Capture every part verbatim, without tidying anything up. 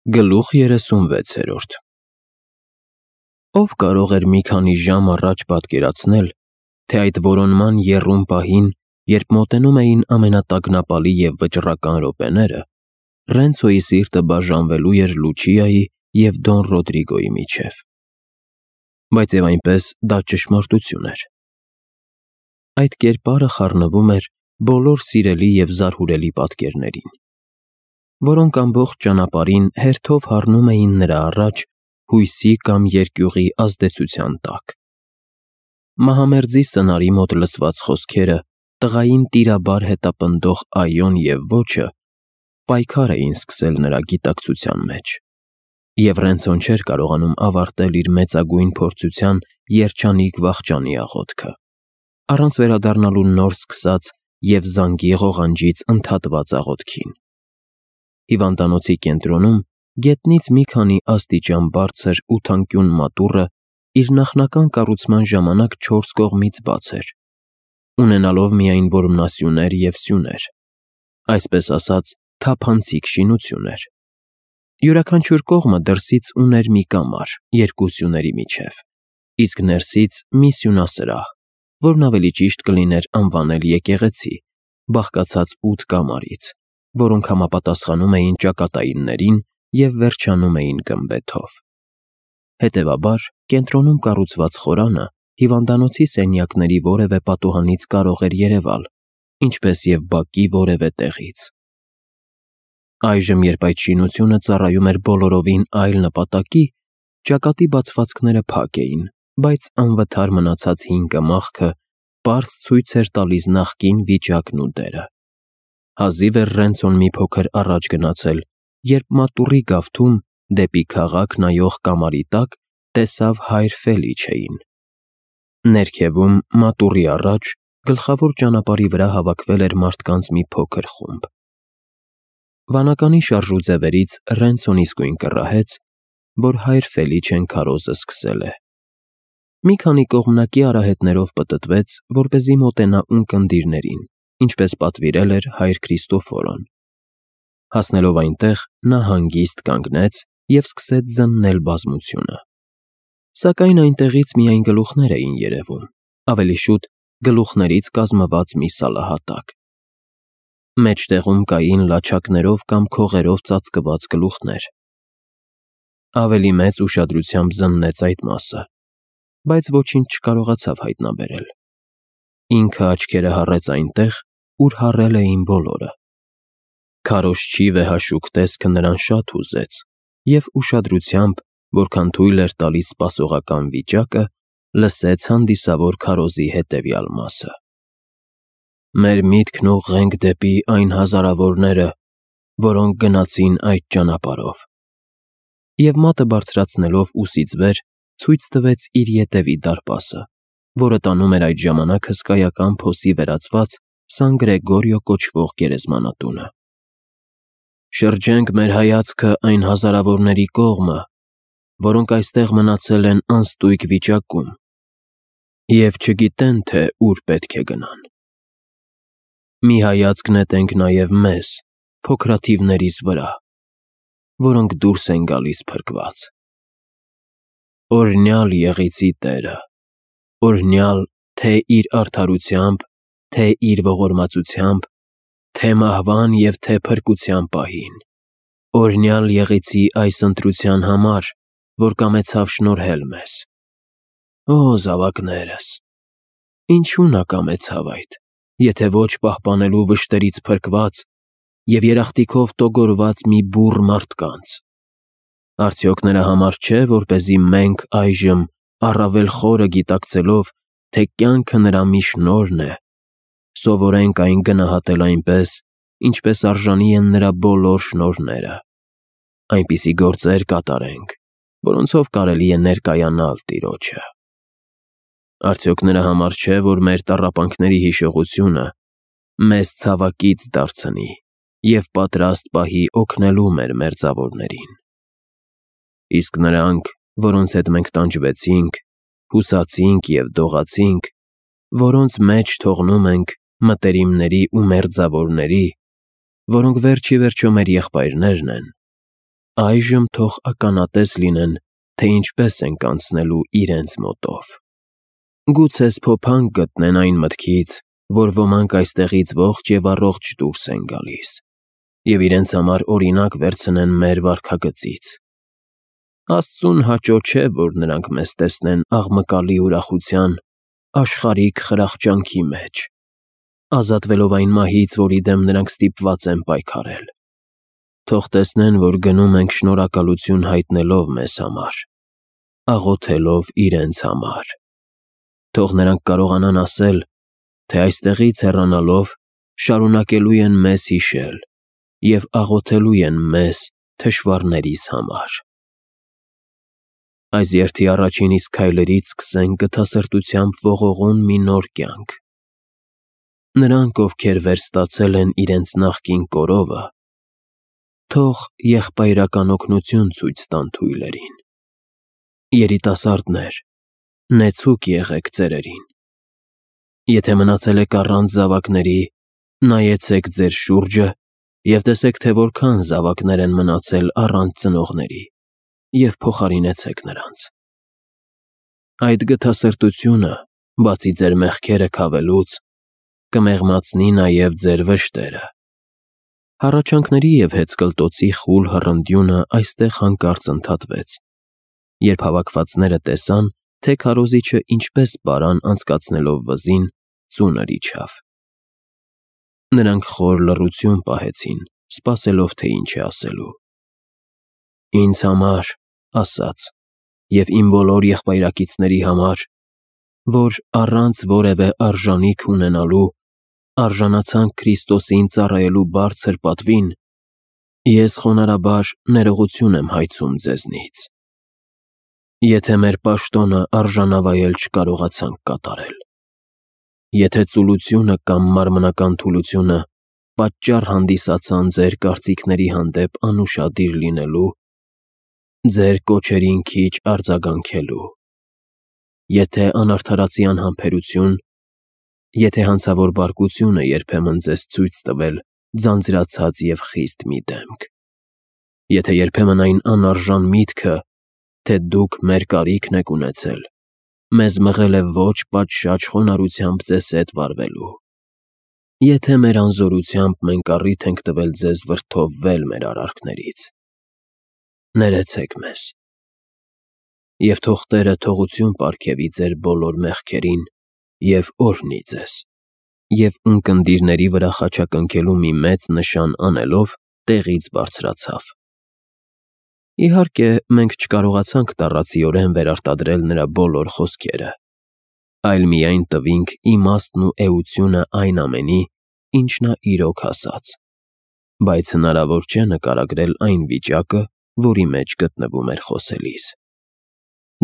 Գլուխ երեսունվեցերորդ Ով կարող էր մի քանի ժամ առաջ պատկերացնել, թե այդ որոնման եռում պահին, երբ մոտենում էին ամենատագնապալի և վճռական րոպեները, Ռենցոյի սիրտը բաժանվելու էր Լուչիայի և Դոն Ռոդրիգոյի միջև։ Բայց և այնպես դա ճշմարտություն էր։ Այդ կերպարը խառնվում էր բոլոր սիրելի և զարհուրելի պատկերներին, որոնք ամբողջ ճանապարհին հերթով հառնում էին նրա առաջ հույսի կամ երկյուղի ազդեցության տակ։ Մահամերձի սնարի մոտ լսված խոսքերը, տղային տիրաբար հետապնդող «այո»-ն և «ոչ»-ը պայքար էին սկսել նրա գիտակցության մեջ, և Ռենցոն չէր կարողանում ավարտել իր մեծագույն փորձության երջանիկ վախճանի աղոթքը, առանց վերադառնալու նոր սկսած և զանգի ղողանջից ընդհատված աղոթքին։ Հիվանդանոցի կենտրոնում, գետնից մի քանի աստիճան բարձր ու թանկյուն մատուռը իր նախնական կառուցման ժամանակ չորս կողմից բաց էր, ունենալով միայն որմնասյուներ և սյուներ, այսպես ասած, թափանցիկ շինություն էր։ Յուրաքանչյուր կողմը դրսից ուներ մի կամար երկու սյուների միջև, իսկ ներսից մի սյունասրահ, որն ավելի ճիշտ կլիներ անվանել եկեղեցի, բաղկացած ութ կամարից, որոնք համապատասխանում էին ճակատայիններին և վերջանում էին գմբեթով։ Հետևաբար, կենտրոնում կառուցված խորանը հիվանդանոցի սենյակների որևէ պատուհանից կարող էր երևալ, ինչպես և բակի որևէ տեղից։ Այժմ, երբ այդ շինությունը ծառայում էր բոլորովին այլ նպատակի, ճակատի բացվածքները փակ էին, բայց անվթար մնացած հին կմախքը պարզ ցույց էր տալիս նախկին վիճակն ու դերը։ Հազիվ էր Ռենցոն մի փոքր առաջ գնացել, երբ մատուռի գավթում, դեպի քաղաք նայող կամարի տակ, տեսավ հայր Ֆելիչեին։ Ներքևում, մատուռի առաջ, գլխավոր ճանապարհի վրա հավաքվել էր մարդկանց մի փոքր խումբ։ Վանականի շարժու ձևերից Ռենցոն իսկույն կռահեց, որ հայր Ֆելիչեն քարոզը սկսել է։ Մի քանի կողմնակի արահետներով պտտվեց, որպեսզի մոտենա ունկնդիրներին, ինչպես պատվիրել էր հայր Քրիստոֆորոն։ Հասնելով այնտեղ, նա հանգիստ կանգնեց և սկսեց զննել բազմությունը։ Սակայն այնտեղից միայն գլուխներ էին երևում, ավելի շուտ գլուխներից կազմված մի սալահատակ։ Մեջտեղում կային լաչակներով կամ քողերով ծածկված գլուխներ։ Ավելի մեծ ուշադրությամբ զննեց այդ մասը, բայց ոչինչ չկարողացավ հայտնաբերել։ Ինքը աչքերը հառեց այնտեղ, ուր հառել էին բոլորը։ Քարոզչի վեհաշուկ տեսքը նրան շատ հուզեց, և ուշադրությամբ, որքան թույլ էր տալիս սպասողական վիճակը, լսեց հանդիսավոր քարոզի հետևյալ մասը. «Մեր միտքն ուղղենք դեպի այն հազարավորները, որոնք գնացին այդ ճանապարհով», և մատը բարձրացնելով ուսից վեր, ցույց տվեց իր ետևի դարպասը, որը տանում էր այդ ժամանակ հսկայական փոսի վերածված Սան Գրեգորիո կոչվող գերեզմանատունը։ «Շրջենք մեր հայացքը այն հազարավորների կողմը, որոնք այստեղ մնացել են անստույգ վիճակում և չգիտեն, թե ուր պետք է գնան։ Մի հայացք նետենք նաև մեզ, փոքրաթիվներիս վրա, որոնք դուրս են գալիս փրկված։ Օրհնյալ եղեցի Տերը, օրհնյալ թե՛ իր արդարությամբ, թե՛ իր ողորմածությամբ, թե՛ մահվան և թե՛ փրկության պահին։ Օրհնյալ եղեցի այս ընտրության համար, որ կամեցավ շնորհել մեզ։ Օ զավակներս, ինչու նա կամեցավ այդ, եթե ոչ պահպանելու վշտերից փրկված և երախտիկով տոգորված մի բուռ մարդկանց։ Արդյոք նրա համար չէ, որպեսզի մենք այժմ, առավել խորը գիտակցելով, թե կյանքը նրա մի շնորհն է, սովորենք այն գնահատել այնպես, ինչպես արժանի են նրա բոլոր շնորհները, այնպիսի գործեր կատարենք, որոնցով կարելի է ներկայանալ Տիրոջը։ Արդյոք նրա համար չէ, որ մեր տառապանքների հիշողությունը մեզ ցավակից դարձնի և պատրաստ պահի օգնելու մեր մերձավորներին։ Իսկ նրանք, որոնց հետ մենք տանջվեցինք, հուսացինք և դողացինք, որոնց մեջ թողնում ենք մտերիմների ու մերձավորների, որոնք վերջ ի վերջո մեր եղբայրներն են, այժմ թող ականատես լինեն, թե ինչպես ենք անցնելու իրենց մոտով։ Գուցե սփոփանք գտնեն այն մտքից, որ ոմանք այստեղից ողջ եւ առողջ դուրս են գալիս, եւ իրենց համար օրինակ վերցնեն մեր վարքագծից։ Աստծուն հաճո չէ, որ նրանք մեզ տեսնեն աղմկալի ուրախության, աշխարհիկ խրախճանքի մեջ, ազատվելով այն մահից, որի դեմ նրանք ստիպված են պայքարել։ Թող տեսնեն, որ գնում ենք շնորհակալություն հայտնելով մեզ համար, աղոթելով իրենց համար։ Թող նրանք կարողանան ասել, թե այստեղից հեռանալով շարունակելու են մեզ հիշել և աղոթելու են մեզ թշվառներիս համար։ Այս երթի առաջին իսկ քայլերից սկսենք գթասրտությամբ ողողուն մի նոր կյանք։ Նրանք, ովքեր վերստացել են իրենց նախկին կորովը, թող եղբայրական օգնություն ցույց տան թույլերին։ Երիտասարդներ, նեցուկ եղեք ծերերին։ Եթե մնացել եք առանց զավակների, նայեցեք ձեր շուրջը և տեսեք, թե որքան զավակներ են մնացել առանց ծնողների, և փոխարինեցեք նրանց։ Այդ գթասրտությունը, բացի ձեր մեղքերը քավելուց, կմեղմացնի նաև ձեր վշտերը։ Հառաչանքների և հեծկլտոցի խուլ հռնդյունը այստեղ հանկարծ ընդհատվեց, երբ հավաքվածները տեսան, թե քարոզիչը ինչպես պարան անցկացնելով վզին ծունր իջավ։ Նրանք խոր լռություն պահեցին, սպասելով, թե ինչ է ասելու։ «Ինձ համար, ասաց, և իմ բոլոր եղբայրակիցների համար, որ առանց որևէ արժանիք ունենալու արժանացանք Քրիստոսին ծառայելու բարձր պատվին, ես խոնարհաբար ներողություն եմ հայցում ձեզնից։ Եթե մեր պաշտոնը արժանավայել չկարողացանք կատարել, եթե ծուլությունը կամ մարմնական թուլությունը պատճառ հանդիսացան ձեր կարծիքների հանդեպ անուշադիր լինելու, ձեր կոչերին քիչ արձագանքելու, եթե անարդարացի անհամբերություն, եթե հանցավոր բարկություն է երբեմն ձեզ ցույց տվել ձանձրացած և խիստ մի դեմք, եթե երբեմն այն անարժան միտքը, թե դուք մեր կարիքն եք ունեցել, մեզ մղել է ոչ պատշաճ խոնարհությամբ ձեզ հետ վարվելու, եթե մեր անզորությամբ մենք առիթ ենք տվել ձեզ վրդովվել մեր արարքներից, ներեցեք մեզ։ Եվ թող Տերը թողություն պարգևի ձեր բոլոր մեղքերին և օրհնի ձեզ։ Եվ ունկնդիրների վրա խաչակնքելու մի մեծ նշան անելով տեղից բարձրացավ։ Իհարկե, մենք չկարողացանք տառացիորեն վերարտադրել նրա բոլոր խոսքերը, այլ միայն տվինք իմաստն ու էությունը այն ամենի, ինչ նա իրոք ասաց, բայց հնարավոր չէ նկարագրել այն վիճակը, որի մեջ գտնվում էր խոսելիս։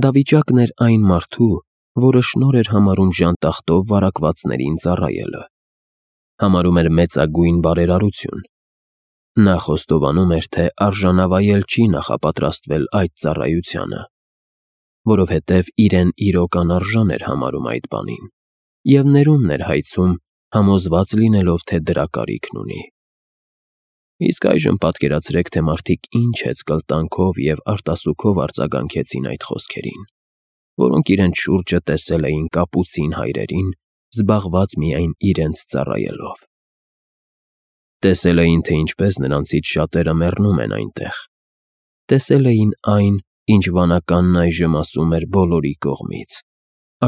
Դա վիճակն էր այն մարդու, որը շնորհ էր համարում ժանտախտով վարակվածներին ծառայելը, համարում էր մեծագույն բարերարություն։ Նա խոստովանում էր, թե արժանավայել չի նախապատրաստվել այդ ծառայությանը, որովհետև իրեն իրոք անարժան էր համարում այդ բանին, և ներումն էր հայցում, համոզված լինելով, թե դրա կարիքն ունի։ Իսկ այժմ պատկերացրեք, թե մարդիկ ինչ հեծկլտանքով և արտասուքով արձագանքեցին այդ խոսքերին, որոնք իրենց շուրջը տեսել էին կապուցին հայրերին, զբաղված միայն իրենց ծառայելով։ Տեսել էին, թե ինչպես նրանցից շատերը մեռնում են այնտեղ։ Տեսել էին այն, ինչ վանականն այժմ ասում էր բոլորի կողմից,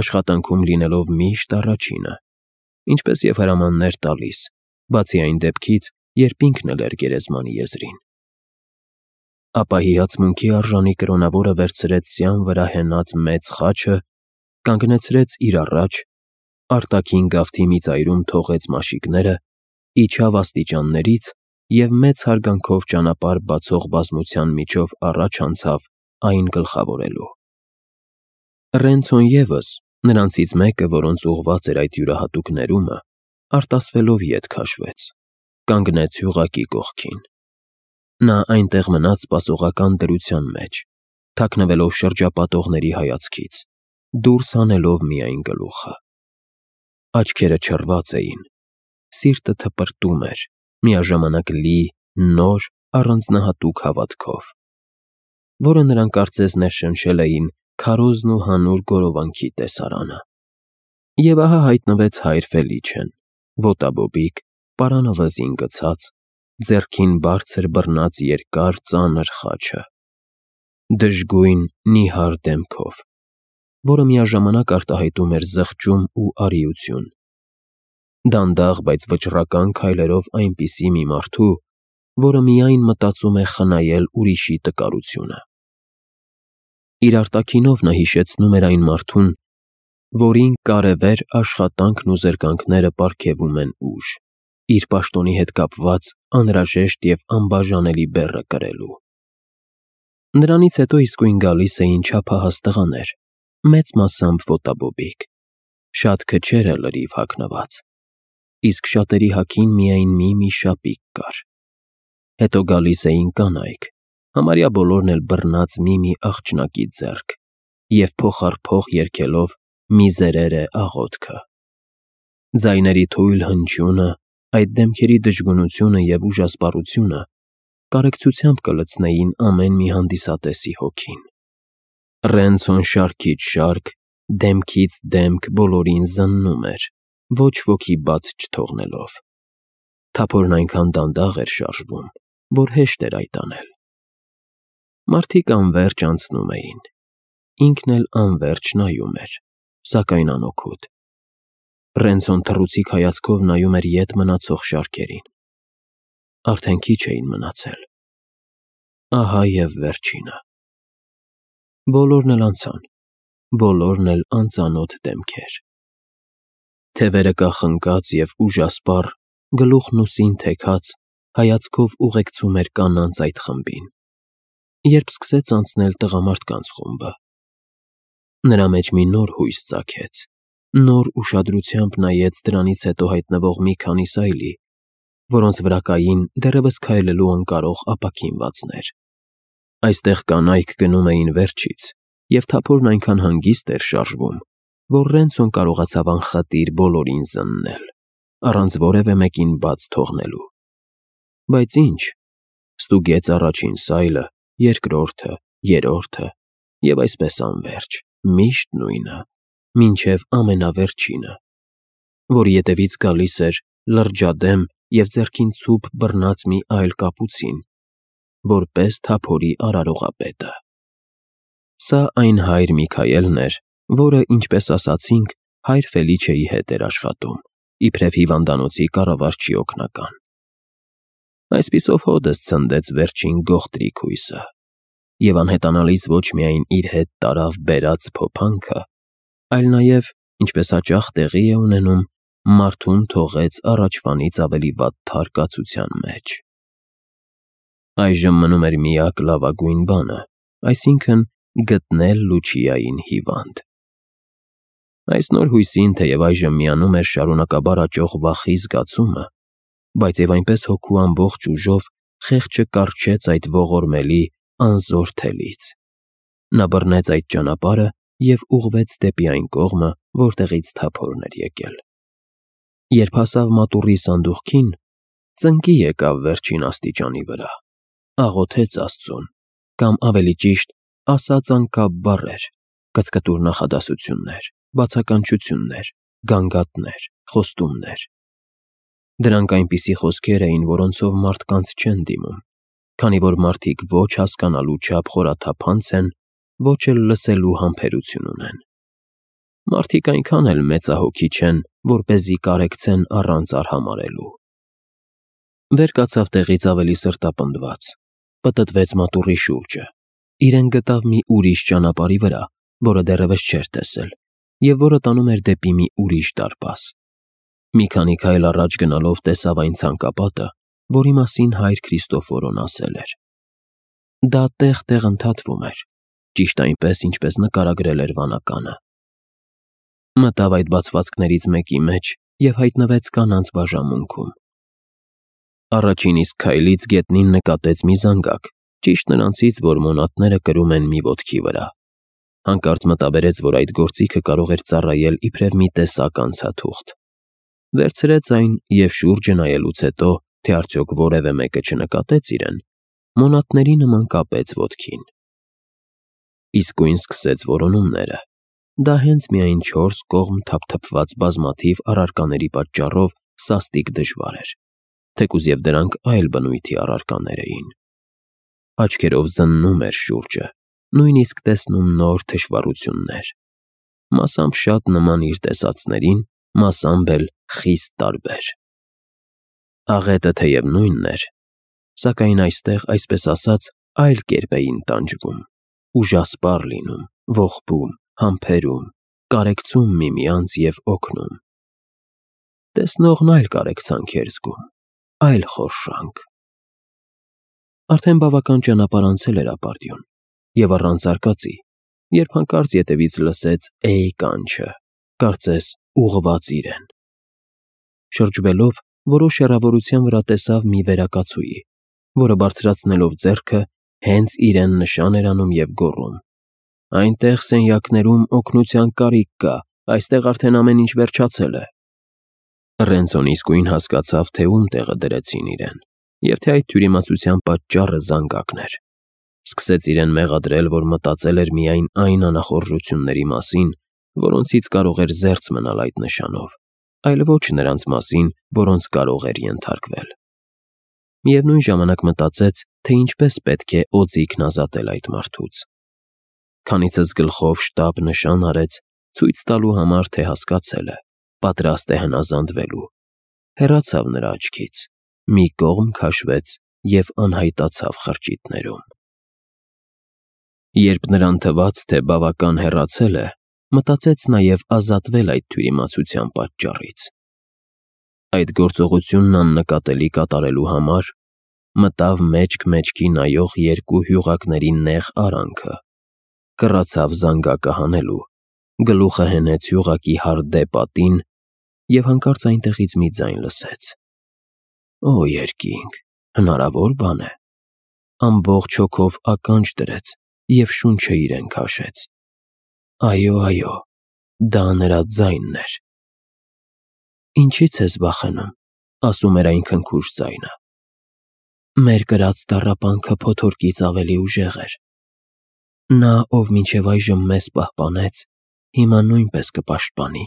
աշխատանքում լինելով միշտ առաջինը, ինչպես և հրամաններ տալիս, բացի այն դեպքից, երբ ինքն էլ էր գերեզմանի եզրին։ Ապա հիացմունքի արժանի կրոնավորը վերցրեց սյան վրա հենած մեծ խաչը, կանգնեցրեց իր առաջ, արտաքին գավթի մի ծայրում թողեց մաշիկները, իջավ աստիճաններից և մեծ հարգանքով ճանապարհ բացող բազմության միջով առաջ անցավ այն գլխավորելու։ Ռենցոն ևս, նրանցից մեկը, որոնց ուղղված էր այդ յուրահատուկ ներումը, արտասվելով ետ քաշվեց, կանգնեց յուղակի կողքին։ Նա այնտեղ մնաց սպասողական դրության մեջ, թաքնվելով շրջապատողների հայացքից, դուրս հանելով միայն գլուխը։ Աչքերը չռված էին, սիրտը թպրտում էր, միաժամանակ լի նոր, առանձնահատուկ հավատքով։ որը նրան կարծես ներշնչել էին քարոզն ու հանուր գորովանքի տեսարանը։ Եվ ահա հայտնվեց հայր Ֆելիչեն, ոտաբոբիկ, պարանը վզին գցած, ձեռքին բարձր բռնած երկար ծանր խաչը, դժգույն նիհար դեմքով, որը միաժամանակ արտահայտում էր զղջում ու արիություն։ Դանդաղ, բայց վճռական քայլերով այնպիսի մի մարդու, որը միայն մտածում է խնայել ուրիշի տկարությունը։ Իր արտաքինով նա հիշեցնում էր այն մարդուն, որին կարևեր աշխատանքն ու զրկանքները պարգևում են ուժ, իր պաշտոնի հետ կապված անհրաժեշտ և անբաժանելի բեռը կրելու։ Նրանից հետո իսկույն գալիս էին չափահաս տղաներ, մեծ մասամբ ոտաբոբիկ, շատ քչերը լրիվ հագնված, իսկ շատերի հագին միայն մի-մի շապիկ կար։ Հետո գալիս էին կանայք, համարյա բոլորն էլ բռնած մի-մի աղջնակի ձեռք և փոխառ-փոխ երգելով «Միզերերը» աղոթքը։ Ձայների թույլ հնչյունը, այդ դեմքերի դժգունությունը և ուժասպառությունը կարեկցությամբ կլցնեին ամեն մի հանդիսատեսի հոգին։ Ռենցոն շարքից շարք, դեմքից դեմք բոլորին զննում էր, ոչ ոքի բաց չթողնելով։ Թափորն այնքան դանդաղ էր շարժվում, որ հեշտ էր այդ անել։ Մարդիկ անվերջ անցնում էին, ինքն էլ անվերջ նայում էր, սակայն անօգուտ։ Ռենցոն թռուցիկ հայացքով նայում էր ետ մնացող շարքերին։ Արդեն քիչ էին մնացել։ Ահա և վերջինը։ Բոլորն էլ անցան, բոլորն էլ անծանոթ դեմքեր։ Թևերը կախնկած և ուժասպառ, գլուխն ուսին թեքած, հայացքով ուղեկցում էր կանանց այդ խմբին, երբ սկսեց անցնել տղամարդկանց խումբը։ Նրա մեջ մի նոր հույս ծագեց, նոր ուշադրությամբ նայեց դրանից հետո հայտնվող մի քանի սայլի, որոնց վրա կային դեռևս քայլելու անկարող ապաքինվածներ։ Այստեղ կանայք գնում էին վերջից, և թափորն այնքան հանգիստ էր շարժվում, որ Ռենցոն կարողացավ անխտիր բոլորին զննել, առանց որևէ մեկին բաց թողնելու։ Բայց ինչ, ստուգեց առաջին սայլը, երկրորդը, երրորդը և այսպես անվերջ, միշտ նույնը, մինչև ամենավերջինը, որի ետևից գալիս էր լրջադեմ և ձեռքին ցուպ բռնած մի այլ կապուցին, որպես թափորի արարողապետը։ Սա այն հայր Միքայելն էր, որը, ինչպես ասացինք, հայր Ֆելիչեի հետ էր աշխատում, իբրև հիվանդանոցի կառավարչի օգնական։ Այսպիսով հօդս ցնդեց վերջին գողտրիկ հույսը, և անհետանալից ոչ միայն իր հետ տարավ բերած փոփանքը, այլ նաև, ինչպես հաճախ տեղի է ունենում, մարդուն թողեց առաջվանից ավելի վատթար կացության մեջ։ Այժմ մնում էր միակ լավագույն բանը, այսինքն՝ գտնել Լուչիային հիվանդ։ Այս նոր հույսին թեև այժմ միանում էր շարունակաբար աճող վախի զգացումը, բայց և այնպես հոգու ամբողջ ուժով խեղճը կառչեց այդ ողորմելի, անզոր թելից։ Նա բռնեց այդ ճանապարհը և ուղղվեց դեպի այն կողմը, որտեղից թափորն էր եկել։ Երբ հասավ մատուռի սանդուղքին, ծնկի եկավ վերջին աստիճանի վրա, աղոթեց Աստծուն, կամ ավելի ճիշտ, ասաց անկապ բառեր, կծկտուր նախադասություններ, բացականչություններ, գանգատներ, խոստումներ։ Դրանք այնպիսի խոսքեր էին, որոնցով մարդկանց չեն դիմում, քանի որ մարդիկ ոչ հասկանալու չափ խորաթափանց են, ոչ էլ լսելու համբերություն ունեն։ Մարդիկ այնքան էլ մեծահոգի չեն, որպեսզի կարեկցեն առանց արհամարհելու։ Վեր կացավ տեղից ավելի սրտապնդված, պտտվեց մատուռի շուրջը, իրեն գտավ մի ուրիշ ճանապարհի վրա, որը դեռևս չէր տեսել, և որը տանում էր դեպի մի ուրիշ դարպաս։ Մի քանի քայլ առաջ գնալով տեսավ այն ցանկապատը, որի մասին հայր Քրիստոֆորոն ասել էր։ Դա տեղ-տեղ ընդհատվում էր, ճիշտ այնպես, ինչպես նկարագրել էր վանականը։ Մտավ այդ բացվածքներից մեկի մեջ և հայտնվեց կանանց բաժանմունքում։ Առաջին իսկ քայլից գետնին նկատեց մի զանգակ, ճիշտ նրանցից, որ մոնատները կրում են մի ոտքի վրա։ Հանկարծ մտաբերեց, որ այդ գործիքը կարող էր ծառայել իբրև մի տեսակ անցաթուղթ։ Վերցրեց այն և շուրջը նայելուց հետո, թե արդյոք որևէ մեկը չնկատեց իրեն, մոնատների նման կապեց ոտքին։ իսկույն սկսեց որոնումները։ Դա հենց միայն չորս կողմ թափթփված բազմաթիվ առարկաների պատճառով սաստիկ դժվար էր, թեկուզ և դրանք այլ բնույթի առարկաներ էին։ Աչքերով զննում էր շուրջը, նույնիսկ տեսնում նոր թշվառություններ, մասամբ շատ նման իր տեսածներին, մասամբ էլ խիստ տարբեր։ Աղետը թեև նույնն էր, սակայն այստեղ, այսպես ասած, այլ կերպ էին տանջվում, ուժասպառ լինում, ողբում, համբերում, կարեկցում միմյանց և օգնում։ Տեսնողն այլ կարեկցանք էր զգում, այլ խորշանք։ Արդեն բավական ճանապարհ անցել էր ապարդյուն, և առանց արկածի, երբ հանկարծ ետևից լսեց «Էյ» կանչը, կարծես ուղղված իրեն։ Շրջվելով, որոշ հեռավորության վրա տեսավ մի վերակացուի, որը բարձրացնելով ձեռքը, հենց իրեն նշան էր անում և գոռում. «Այնտեղ սենյակներում օգնության կարիք կա, այստեղ արդեն ամեն ինչ վերջացել է»։ Ռենցոն իսկույն հասկացավ, թե ում տեղը դրեցին իրեն, և թե այդ թյուրիմացության պատճառը զանգակն էր։ Սկսեց իրեն մեղադրել, որ մտածել էր միայն այն անախորժությունների մասին, որոնցից կարող էր զերծ մնալ այդ նշանով, այլ ոչ նրանց մասին, որոնց կարող էր ենթարկվել։ Միևնույն ժամանակ մտածեց, թե ինչպես պետք է օձիքն ազատել այդ մարդուց։ Քանիցս գլխով շտապ նշան արեց, ցույց տալու համար, թե հասկացել է, պատրաստ է հնազանդվելու, հեռացավ նրա աչքից, մի կողմ քաշվեց և անհայտացավ խրճիթներում։ Երբ նրան թվաց, թե բավական հեռացել է, մտածեց նաև ազատվել այդ թյուրիմացության պատճառից։ Այդ գործողությունն աննկատելի կատարելու համար մտավ մեջք-մեջքի նայող երկու հյուղակների նեղ արանքը, կռացավ զանգակը հանելու, գլուխը հենեց հյուղակի հարդե պատին և հանկարծ այնտեղից մի ձայն լսեց. «Օ երկինք, հնարավոր բան է»։ Ամբողջ հոգով ականջ դրեց և շունչը իրեն քաշեց։ Այո, այո, դա նրա ձայնն էր։ «Ինչի՞ց ես վախենում», ասում էր այն քնքուշ ձայնը։ «Մեր կրած տառապանքը փոթորկից ավելի ուժեղ էր։ Նա, ով մինչև այժմ մեզ պահպանեց, հիմա նույնպես կպաշտպանի»։